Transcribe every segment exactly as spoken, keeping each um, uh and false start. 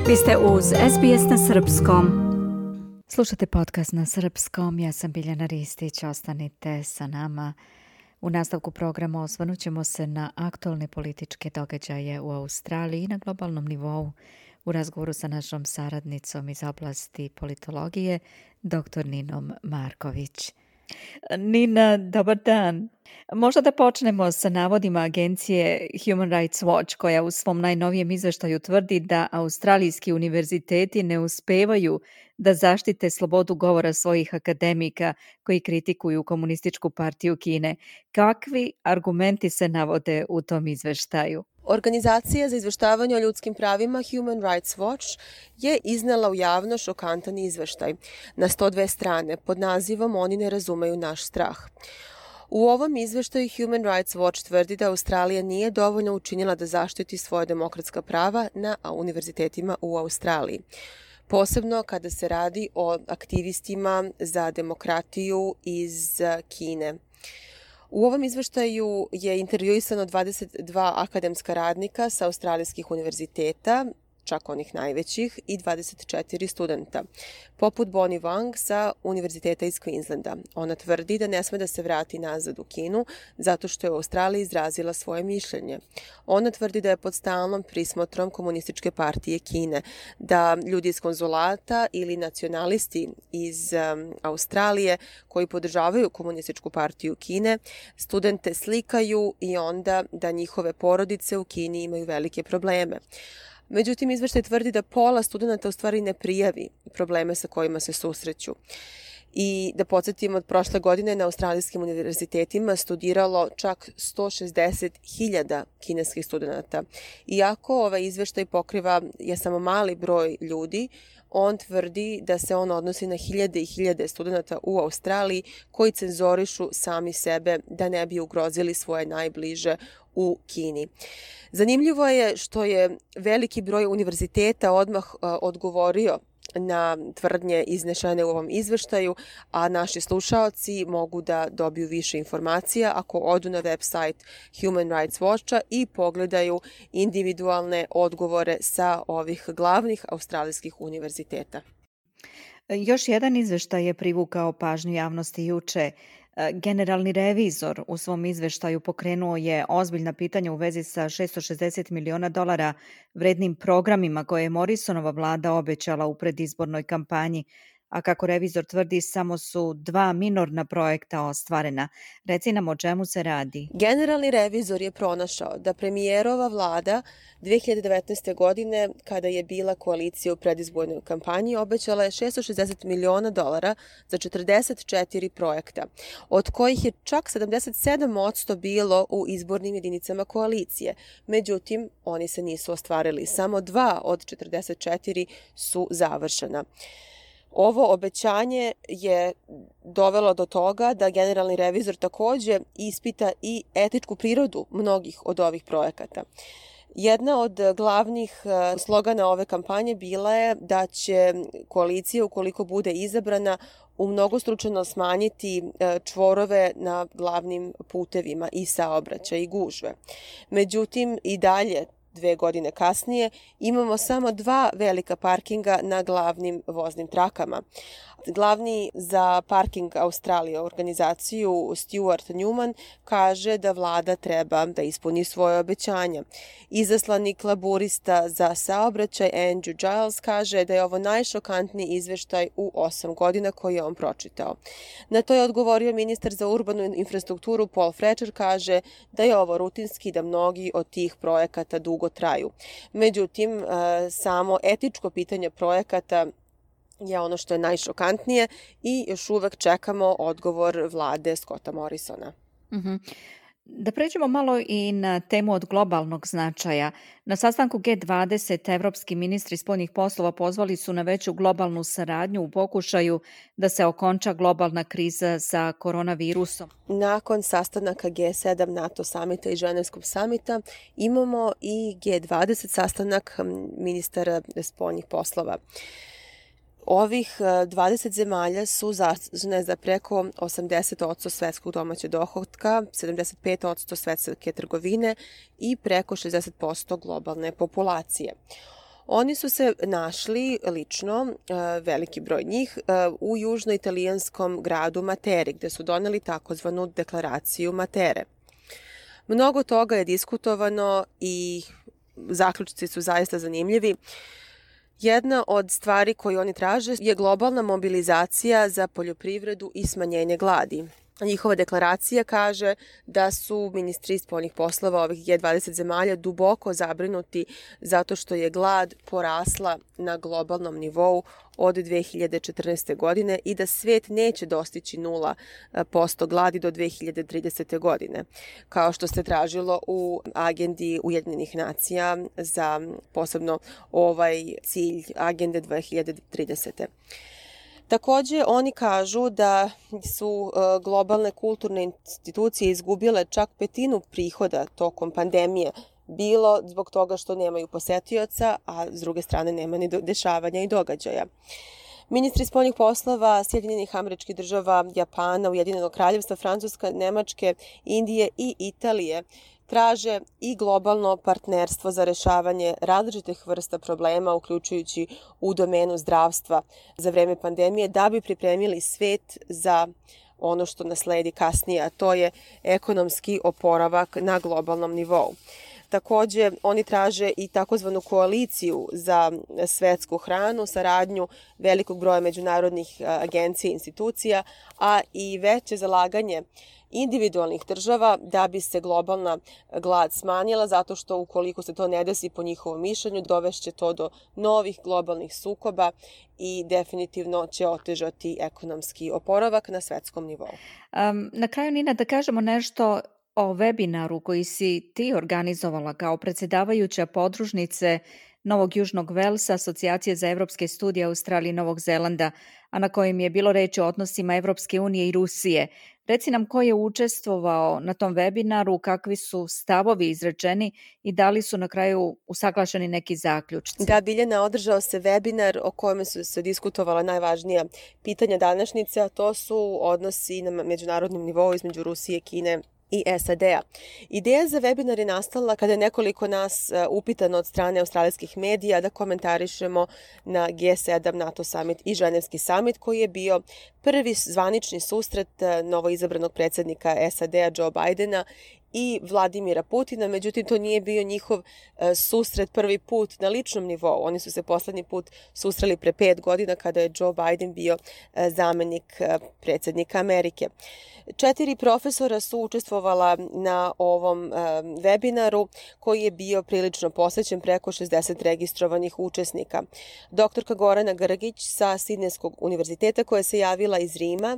Vi ste uz S B S na srpskom. Slušate podcast na srpskom, ja sam Biljana Ristić, ostanite sa nama. U nastavku programa osvrnut ćemo se na aktualne političke događaje u Australiji i na globalnom nivou u razgovoru sa našom saradnicom iz oblasti politologije, doktor Ninom Marković. Nina, dobar dan. Možda da počnemo sa navodima agencije Human Rights Watch, koja u svom najnovijem izveštaju tvrdi da australijski univerziteti ne uspevaju da zaštite slobodu govora svojih akademika koji kritikuju komunističku partiju Kine. Kakvi argumenti se navode u tom izveštaju? Organizacija za izveštavanje o ljudskim pravima Human Rights Watch je iznela u javno šokantan izveštaj na sto dve strane pod nazivom Oni ne razumeju naš strah. U ovom izveštaju Human Rights Watch tvrdi da Australija nije dovoljno učinila da zaštiti svoje demokratska prava na univerzitetima u Australiji. Posebno kada se radi o aktivistima za demokratiju iz Kine. U ovom izveštaju je intervjuisano dvadeset dva akademska radnika sa australijskih univerziteta, čak onih najvećih, i dvadeset četiri studenta, poput Bonnie Wang sa Univerziteta iz Queenslanda. Ona tvrdi da ne sme da se vrati nazad u Kinu zato što je u Australiji izrazila svoje mišljenje. Ona tvrdi da je pod stalnom prismotrom komunističke partije Kine, da ljudi iz konzulata ili nacionalisti iz um, Australije koji podržavaju komunističku partiju Kine, studente slikaju i onda da njihove porodice u Kini imaju velike probleme. Međutim, izveštaj tvrdi da pola studenta u stvari ne prijavi probleme sa kojima se susreću. I da podsjetimo, od prošle godine na australijskim univerzitetima studiralo čak sto šezdeset hiljada kineskih studenta. Iako ovaj izveštaj pokriva je samo mali broj ljudi, on tvrdi da se on odnosi na hiljade i hiljade studenta u Australiji koji cenzorišu sami sebe da ne bi ugrozili svoje najbliže u Kini. Zanimljivo je što je veliki broj univerziteta odmah uh, odgovorio na tvrdnje iznešene u ovom izveštaju, a naši slušaoci mogu da dobiju više informacija ako odu na website Human Rights Watcha i pogledaju individualne odgovore sa ovih glavnih australijskih univerziteta. Još jedan izveštaj je privukao pažnju javnosti juče. Generalni revizor u svom izveštaju pokrenuo je ozbiljna pitanja u vezi sa šesto šezdeset miliona dolara vrednim programima koje je Morrisonova vlada obećala u predizbornoj kampanji, a kako revizor tvrdi, samo su dva minorna projekta ostvarena. Reci nam o čemu se radi. Generalni revizor je pronašao da premijerova vlada dve hiljade devetnaeste. godine, kada je bila koalicija u predizbornoj kampanji, obećala je šesto šezdeset miliona dolara za četrdeset četiri projekta, od kojih je čak sedamdeset sedam posto bilo u izbornim jedinicama koalicije. Međutim, oni se nisu ostvarili. Samo dva od četrdeset četiri su završena. Ovo obećanje je dovelo do toga da generalni revizor takođe ispita i etičku prirodu mnogih od ovih projekata. Jedna od glavnih slogana ove kampanje bila je da će koalicija, ukoliko bude izabrana, umnogostručeno smanjiti čvorove na glavnim putevima i saobraćaj i gužve. Međutim, i dalje, dve godine kasnije, imamo samo dva velika parkinga na glavnim voznim trakama. Glavni za parking Australije, organizaciju Stuart Newman, kaže da vlada treba da ispuni svoje obećanja. Izaslanik laburista za saobraćaj Andrew Giles kaže da je ovo najšokantniji izveštaj u osam godina koji je on pročitao. Na to je odgovorio ministar za urbanu infrastrukturu Paul Fletcher, kaže da je ovo rutinski, da mnogi od tih projekata dugo traju. Međutim, samo etičko pitanje projekata je ono što je najšokantnije i još uvek čekamo odgovor vlade Scotta Morrisona. Mm-hmm. Da pređemo malo i na temu od globalnog značaja. Na sastanku G dvadeset evropski ministri spoljnih poslova pozvali su na veću globalnu saradnju u pokušaju da se okonča globalna kriza sa koronavirusom. Nakon sastanaka G sedam NATO samita i Ženevskog samita imamo i G dvadeset sastanak ministara spoljnih poslova. Ovih dvadeset zemalja su zaslužne za preko osamdeset posto svetskog domaćeg dohotka, sedamdeset pet posto svetske trgovine i preko šezdeset posto globalne populacije. Oni su se našli lično, veliki broj njih, u južnoitalijanskom gradu Materi, gde su doneli takozvanu deklaraciju Matere. Mnogo toga je diskutovano i zaključci su zaista zanimljivi. Jedna od stvari koju oni traže je globalna mobilizacija za poljoprivredu i smanjenje gladi. Njihova deklaracija kaže da su ministri spoljnih poslova ovih G dvadeset zemalja duboko zabrinuti zato što je glad porasla na globalnom nivou od dve hiljade četrnaeste. godine i da svet neće dostići nula posto gladi do dve hiljade tridesete. godine, kao što se tražilo u agendi Ujedinjenih nacija za posebno ovaj cilj agende dve hiljade tridesete. Takođe, oni kažu da su globalne kulturne institucije izgubile čak petinu prihoda tokom pandemije, bilo zbog toga što nemaju posetioca, a s druge strane nema ni dešavanja i događaja. Ministri spoljnih poslova Sjedinjenih Američkih Država, Japana, Ujedinjenog Kraljevstva, Francuska, Nemačke, Indije i Italije traže i globalno partnerstvo za rešavanje različitih vrsta problema, uključujući u domenu zdravstva za vreme pandemije, da bi pripremili svet za ono što nas sledi kasnije, a to je ekonomski oporavak na globalnom nivou. Takođe, oni traže i takozvanu koaliciju za svetsku hranu, saradnju velikog broja međunarodnih agencija i institucija, a i veće zalaganje individualnih država da bi se globalna glad smanjila, zato što ukoliko se to ne desi po njihovom mišljenju, dovešće to do novih globalnih sukoba i definitivno će otežati ekonomski oporavak na svetskom nivou. Um, na kraju, Nina, da kažemo nešto o webinaru koji si ti organizovala kao predsjedavajuća podružnice Novog Južnog Velsa, Asocijacije za evropske studije Australije i Novog Zelanda, a na kojem je bilo reči o odnosima Evropske unije i Rusije. Reci nam ko je učestvovao na tom webinaru, kakvi su stavovi izrečeni i da li su na kraju usaglašeni neki zaključci. Da, Biljana, održao se webinar o kojem su se diskutovala najvažnija pitanja današnjice, a to su odnosi na međunarodnom nivou između Rusije, Kine i S A D-a. Ideja za webinar je nastala kada je nekoliko nas upitano od strane australijskih medija da komentarišemo na G sedam, NATO summit i Ženevski summit, koji je bio prvi zvanični susret novoizabranog predsjednika S A D-a Joe Bidena i Vladimira Putina, međutim to nije bio njihov susret prvi put na ličnom nivou. Oni su se poslednji put susreli pre pet godina kada je Joe Biden bio zamenik predsjednika Amerike. Četiri profesora su učestvovala na ovom webinaru koji je bio prilično posvećen, preko šezdeset registrovanih učesnika. Doktorka Gorana Grgić sa Sidnejskog univerziteta koja se javila iz Rima,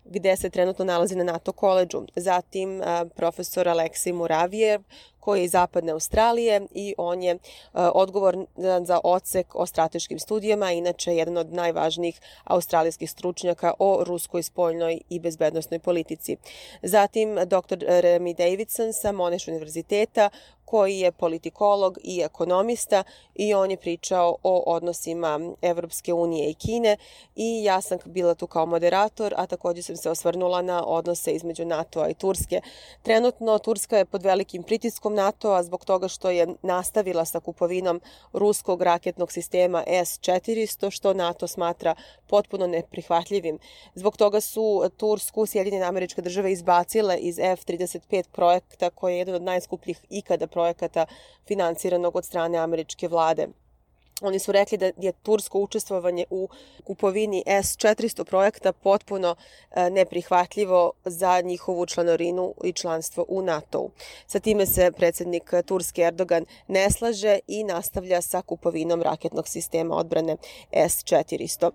gde se trenutno nalazi na NATO koledžu. Zatim profesor Aleksej Muravijev, koji je iz Zapadne Australije i on je odgovoran za odsek o strateškim studijama, inače jedan od najvažnijih australijskih stručnjaka o ruskoj spoljnoj i bezbednosnoj politici. Zatim doktor Remy Davidson sa Monash univerziteta, koji je politikolog i ekonomista i on je pričao o odnosima Evropske unije i Kine i ja sam bila tu kao moderator, a također sam se osvrnula na odnose između NATO-a i Turske. Trenutno Turska je pod velikim pritiskom NATO-a zbog toga što je nastavila sa kupovinom ruskog raketnog sistema S četiristo, što NATO smatra potpuno neprihvatljivim. Zbog toga su Tursku Sjedinjene Američke Države izbacile iz F trideset pet projekta, koji je jedan od najskupljih ikada projekata finansiranog od strane američke vlade. Oni su rekli da je tursko učestvovanje u kupovini S četiristo projekta potpuno neprihvatljivo za njihovu članarinu i članstvo u NATO-u. Sa time se predsjednik Turske Erdogan ne slaže i nastavlja sa kupovinom raketnog sistema odbrane S četiristo.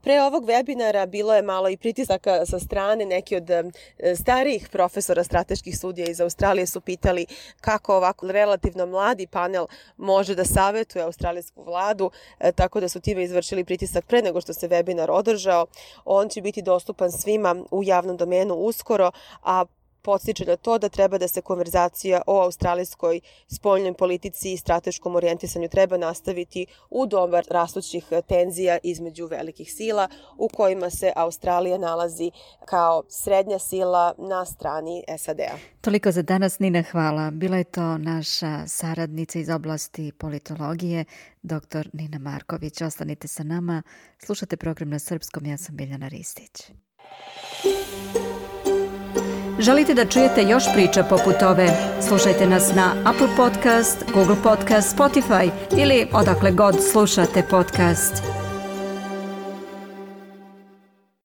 Pre ovog webinara bilo je malo i pritisaka sa strane. Neki od starijih profesora strateških studija iz Australije su pitali kako ovako relativno mladi panel može da savetuje australijsku vladu, tako da su time izvršili pritisak pre nego što se webinar održao. On će biti dostupan svima u javnom domenu uskoro, a podstiče na to da treba da se konverzacija o australijskoj spoljnoj politici i strateškom orijentisanju treba nastaviti u doba rastućih tenzija između velikih sila u kojima se Australija nalazi kao srednja sila na strani S A D-a. Toliko za danas, Nina, hvala. Bila je to naša saradnica iz oblasti politologije, doktor Nina Marković. Ostanite sa nama, slušate program na srpskom, ja sam Biljana Ristić. Želite da čujete još priča poput ove? Slušajte nas na Apple Podcast, Google Podcast, Spotify ili odakle god slušate podcast.